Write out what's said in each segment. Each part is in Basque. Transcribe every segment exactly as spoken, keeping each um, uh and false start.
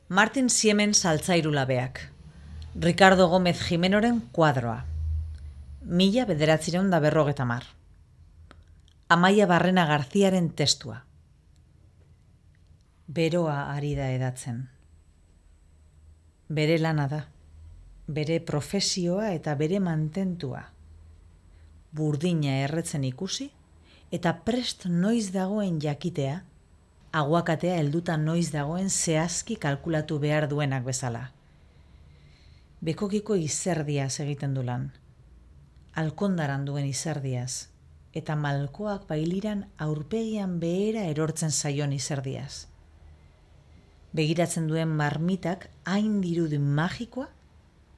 Martin Siemens altzairu labeak. Ricardo Gómez Jimenoren kuadroa. Mila bederatzireun da berrogeta mar. Amaia Barrena Garziaren testua. Beroa ari da edatzen. Bere lana da. Bere profesioa eta bere mantentua. Burdina erretzen ikusi eta prest noiz dagoen jakitea, aguakatea helduta noiz dagoen zehazki kalkulatu behar duenak bezala. Bekokiko izerdiaz egiten du lan. Alkondaran duen izerdiaz, eta malkoak bailiran aurpegian behera erortzen zaion izerdiaz. Begiratzen duen marmitak hain dirudi magikoa,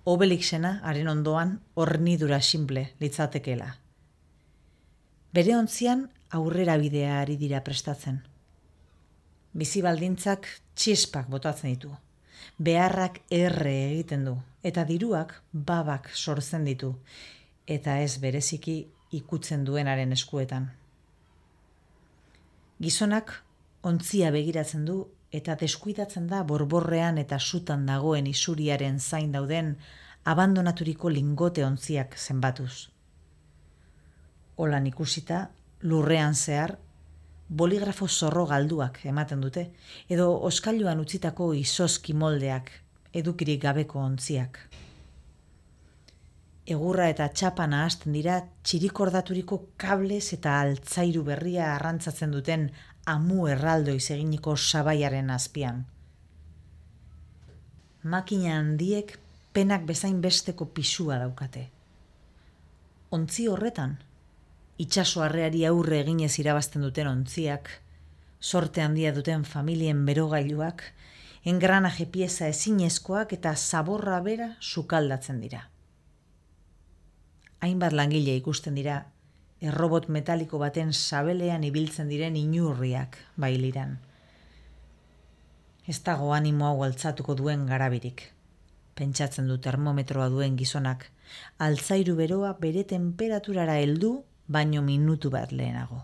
Obelixena haren ondoan hornidura simple litzatekela. Bere ontzian aurrera bidea ari dira prestatzen. Bizi baldintzak txispak botatzen ditu. Beharrak erre egiten du, eta diruak babak sortzen ditu, eta ez bereziki ikutzen duenaren eskuetan. Gizonak ontzia begiratzen du eta deskuidatzen da borborrean eta sutan dagoen isuriaren zain dauden abandonaturiko lingote ontziak zenbatuz. Holan ikusita, lurrean zehar, boligrafo zorro galduak ematen dute, edo oskailuan utzitako izozki moldeak, edukirik gabeko ontziak. Egurra eta txapa nahasten dira txirikordaturiko kablez eta altzairu berria arrantzatzen duten amu erraldoiz eginiko sabaiaren azpian. Makina handiek penak bezain besteko pisua daukate. Ontzi horretan, itsaso harreari aurre eginez irabazten duten ontziak, sorte handia duten familien berogailuak, engranaje pieza ezinezkoak eta zaborra bera sukaldatzen dira. Hainbat langile ikusten dira, errobot metaliko baten sabelean ibiltzen diren inurriak bailiran. Ez dago animo hau altzatuko duen garabirik. Pentsatzen du termometroa duen gizonak, altzairu beroa bere temperaturara heldu baino minutu bat lehenago.